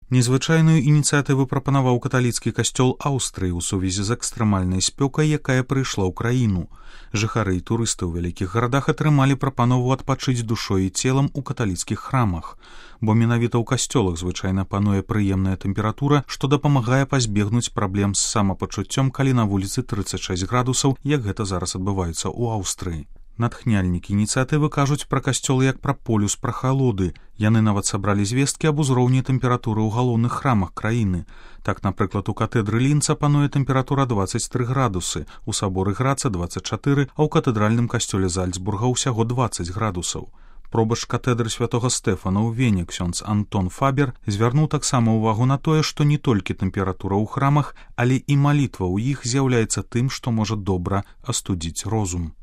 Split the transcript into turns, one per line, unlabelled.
Незвычайную ініцыятыву прапанаваў каталіцкі касцёл Аўстрыі ў сувязі з экстрэмальнай спёкай, якая прыйшла ў краіну. Жыхары і турысты ў вялікіх гарадах атрымалі прапанову адпачыць душой і целам у каталіцкіх храмах. Бо менавіта ў касцёлах звычайна пануе прыемная тэмпература, што дапамагае пазбегнуць праблем з самапачуццём, калі на вуліцы 36 градусаў, як гэта зараз адбываецца ў Аўстрыі. Натхняльнікі ініцыятывы кажуць пра касцёлы як пра полюс прахалоды. Яны нават сабралі звесткі аб узроўні тэмпературы ў галоўных храмах краіны. Так, напрыклад, у катэдры Лінца пануе тэмпература 23 градусы, у саборы Граца 24, а ў катэдральным касцёле Зальцбурга ўсяго 20 градусаў. Пробач катэдры святога Стэфана ў Вене ксёндз Антон Фабер звярнуў таксама ўвагу на тое, што не толькі тэмпература ў храмах, але і малітва ў іх з'яўляецца тым, што можа добра астудзіць розум.